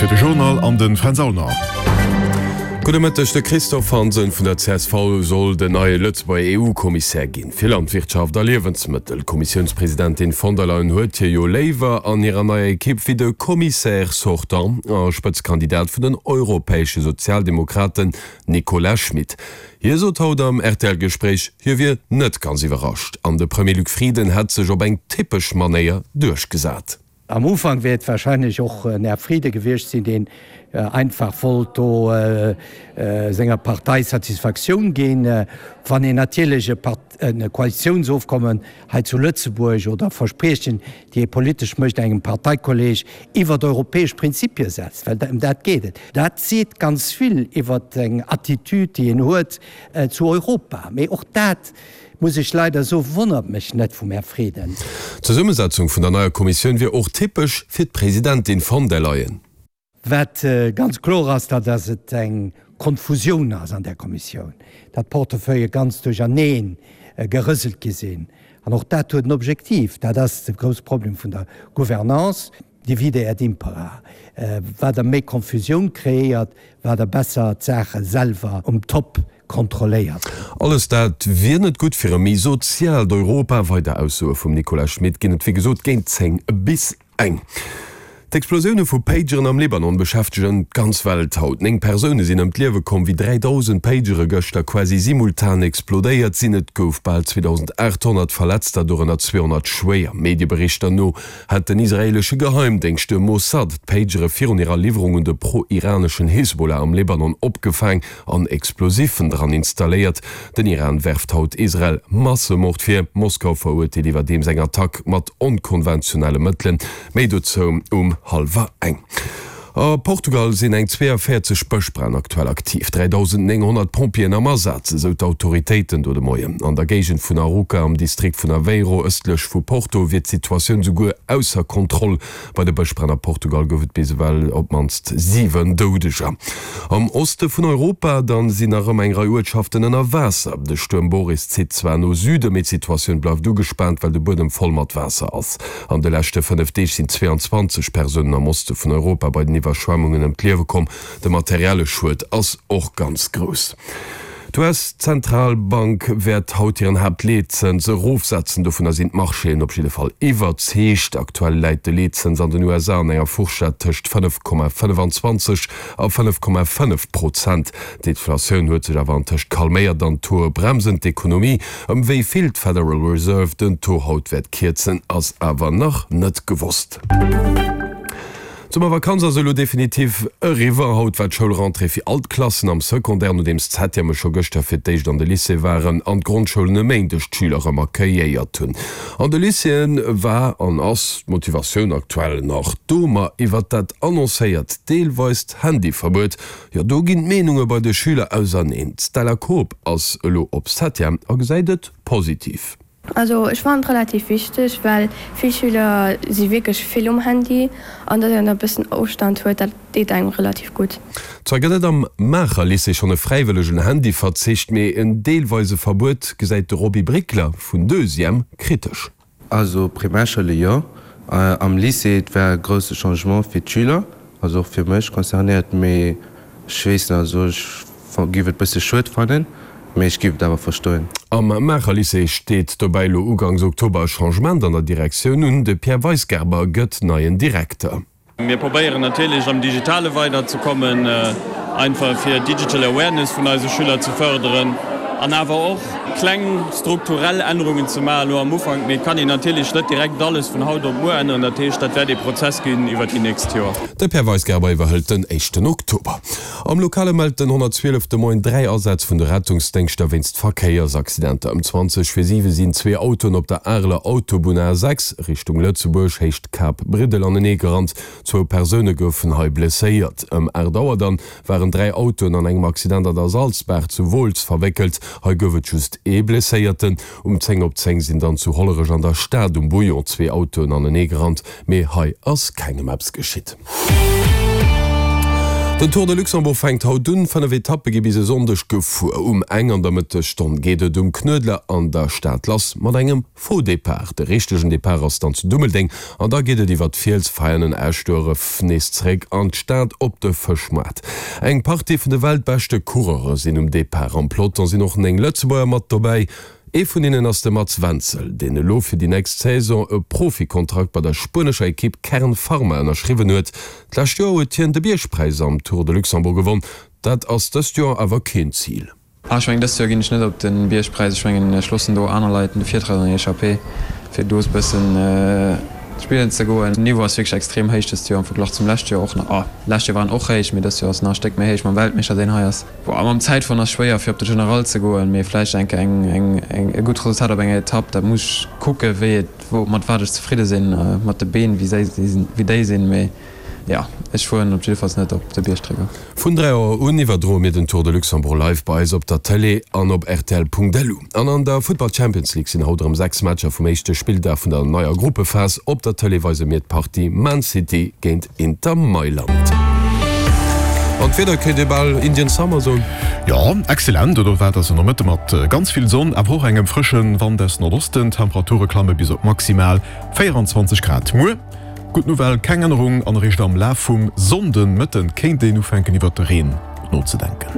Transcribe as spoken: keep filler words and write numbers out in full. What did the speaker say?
Zäit fir de Journal an de Fränz Aulner. Gudde Mëtteg, De Christophe Hansen vun der C S V soll den neie Lëtzebuerger E U-Kommissär ginn fir Landwirtschaft a Liewensmëttel. D'Kommissiounspresidentin von der Leyen huet hie jo léiwer an hirer neier Ekipp wéi de Commissaire sortant a Spëtzekandidat vun den europäesche Sozialdemokraten Nicolas Schmit. Hie sot haut am R T L-Gespréich, hie wier net ganz iwwerrascht an de Premier Luc Frieden hätt sech op eng typesch Manéier duerchgesat. Am Ufank wäert warscheinlech och den Här Frieden gewiescht sinn, deen äh, einfach wollt do äh, äh, senger Partei Satisfaktioun ginn, äh, wann een natierlech e Koalitiounsofkommen hei zu Lëtzebuerg oder Verspriechen, déi ee politesch mécht engem Parteikolleeg iwwer europäesch Prinzipie setzt, well ëm dat geet et. Dat seet ganz vill iwwer eng Attitüd, déi een huet äh, zu Europa. Mee och dat muss ech leider soen, wonnert mech net vum Här Frieden. D'Zesummesetzung vun der neier Kommissioun wier och typesch fir d'Presidentin von der Leyen. Wat äh, ganz kloer ass, dat dass et eng Konfusioun ass an der Kommissioun. Dat Portefeuille ganz duercherneen äh, gerëselt gi sinn. An och dat huet en Objektiv, dat ass de grousse Problem vun der Gouvernance, divide et impera. Äh, wat der méi Konfusioun kreéiert, wat der besser d'Saache selwer um Top kontrolléiert. Alles dat wier net gutt fir e méi soziaalt Europa. Weider Aussoe vum Nicolas Schmit ginn et wéi gesot géint zéng bis eng. D'Explosioune vu Pageren am Libanon beschäftegen d'ganz Welt haut. Néng Persoune sinn ëm d'Liewe komm, wéi dräidausend Pagere gëschter quasi simultan explodéiert sinn. Et gouf bal zweedausendaathonnert Verletzter, dorënner zweehonnert schwéier. Medieberichter no hätt den israeelesche Geheimdéngscht de Mossad d'Pagere virun hirer Liwwerung un de pro-iraneschen Hisbollah am Libanon opgefaang an Explosiffen dran installéiert. Den Iran werft haut Israel Massemord vir. Moskau verurteelt iwwerdeems eng Attack mat onkonventionelle Mëttelen. Méi dozou um hallwer eng. A Portugal sinn eng zweeënvéierzeg Bëschbränn aktuell aktiv. dräidausendnénghonnert Pompjeeën am Asaz, esou d'Autoritéiten do de Moien. An der Géigend vun Arouca am Distrikt vun Aveiro ëstlech vu Porto wier d'Situatioun souguer ausser Kontroll. Bei de Bëschbränn a Portugal gouf et bis ewell op d'mannst siwen Doudeger. Am Oste vun Europa dann sinn nach ëmmer eng Rei Uertschaften ënner Waasser. De Stuerm Boris zitt zwar no Süde, mee d'Situatioun bleift ugespaant, well de Buedem voll mat Waasser ass. An de leschte fënnef Deeg sinn zweeënzwanzeg Persounen am Oste vun Europa bei den Iwwerschwemmunge ëm d'Liewe komm. De materielle Schued ass och ganz grouss. D'U S-Zentralbank wäert haut hiren Haaptleetzëns erofsetzen. Dovunner sinn d'Marchéen op jidde Fall iwwerzeegt. Aktuell läit de Leetzëns an den U S A an enger Fourchette tëscht fënnef Komma fënnefenzwanzeg a fënnef Komma fënnef Prozent. D'Inflatioun huet sech awer antëscht calméiert an d'Tauxe bremsen d'Ekonomie. Ëm wéi vill d'Federal Reserve den Taux haut wäert kierzen, ass awer nach net gewosst. D'Summervakanz ass elo definitiv eriwwer. Haut war d'Schoulrentrée fir all d'Klassen am Secondaire, nodeems d'Septième scho gëschter fir d'éischt an de Lycée waren an d'Grondschoulen e Méindeg d'Schüler erëm accueilléiert hunn. An de Lycéeë war an ass d'Motivatioun aktuell nach do, ma iwwer dat annoncéiert deelweist Handyverbuet, jo do ginn d'Meenunge bei de Schüler auserneen. D'Stella Koob ass elo op Septième a gesäit et positiv. Also ech fannen et relativ wichteg, well vill Schüler si wierklech vill um Handy an datt een e bëssen Ofstand huet, dat deet engem relativ gutt. Zwar gëtt et am Maacher Lycée schonn e fräiwëllegen Handyverzicht, mee en deelweise Verbuet gesäit de Roby Brickler vun Deuxième kritesch. Also Primärschoule jo, am Lycée et wär e grousse Changement fir d'Schüler, also och fir mech concernéiert, mee ech weess net, also ech géif et bësse schued fannen, mee ech géif et awer verstoen. Am Maacher Lycée steet dobäi elo ugangs Oktober e Changement an der Direktioun un. De Pierre Weisgerber gëtt neien Direkter. Mir probéieren natierlech am Digitale weiderzekommen, einfach fir Digital Awareness vun eise Schüler ze fërderen an awer och kleng strukturell Ännerungen ze maachen elo am Ufank. Mee et kann een natierlech net direkt alles vun haut op muer änneren. Dat heescht, dat wäert ee Prozess ginn iwwer déi nächst Joer. De Pierre Weisgerber iwwerhëlt den éischten Oktober. Am Lokale mellt den honnertzwielef de Moien dräi Asätz vun de Rettungsdéngschter wéinst Verkéiersaccidenter. Ëm zwanzeg vir siwe sinn zwee Autoen op der Areler Autobunn A sechs Richtung Lëtzebuerg, Héicht Kap Briddel anenee gerannt. Zwou Persoune goufen hei blesséiert. Ëm aacht Auer dann waren dräi Autoen an engem Accident an der Salzbaach zu Wooltz verwéckelt. Hei gouf et just ee Blesséierten. Um zéng op zéng sinn dann zu Hollerech an der Stad um Bouillon zwee Autoen anenee gerannt, mee hei ass kengem eppes geschitt. Den Tour de Luxembourg fänkt haut un. Fënnef Etappe gi bis e Sonndeg gefuer. Um eng an der Mëttesstonn geet et um Knuedler an der Stad lass mat engem Faux Depart. De richtegen Depart ass dann zu Dummeldeng an da geet et iwwer d'Fiels, Veianen, Eschdueref nees zeréck an d'Stad op de Fëschmaart. Eng Partie vun de weltbeschte Coureure sinn um Depart. Am Peloton sinn och néng Lëtzebuerger mat dobäi. Ee vun hinnen ass de Mats Wenzel, deen elo fir déi nächst Saison e Profikontrakt bei der spuenescher Ekipp Kern Pharma ënnerschriwwen huet. D'lescht Joer huet hien de Biergpräis am Tour de Luxembourg gewonn. Dat ass dëst Joer awer keen Zil. Ah, ech mengen dëst Joer ginn ech net op de Biergpräis. Ech mengen ech loossen do aner Leit de Virtrett an der Echappée, fir do e bëssen spillen ze goen. Den Niveau ass wierklech extrem héich dëst Joer am Verglach zum lescht Joer och nach. Ah, lescht Joer war en och héich, mee dëst Joer ass en nach e Stéck méi héich mam Weltmeeschter deen hei ass. Boah, mam Zäitfueren ass schwéier fir op de General ze goen, mee vläicht enke eng eng eng e gutt Resultat op enger Etapp. Dat muss ech kucke wéi et wou mat wat ech zefridde sinn, mat de Been wéi séi wéi déi sinn, mee jo, ech fueren op jiddefalls net op de Biergtrikot. Vun dräi Auer un iwwerdroe mir den Tour de Luxembourg live bei eis op der Tëlee an op rtl.lu. An an der Futtball Champions League sinn haut erëm sechs Matcher vum éischte Spilldag vun der neier Gruppephas. Op der Tëlee weise mir d'Partie Man City géint Inter Mailand. An d'Wieder kéint ee bal Indian Summer soen. Jo, excellent, oder wat ass en Nomëtte mat ganz vill Sonn, awer och engem frësche Wand aus Nordosten. D'Temperature klamme bis op maximal véieranzwanzeg Grad. Muer, gutt Nouvelle, keng Ännerung an eréischt am Laf vum Sonndenmëtten kéint een ufänken iwwert de Reen nozedenken.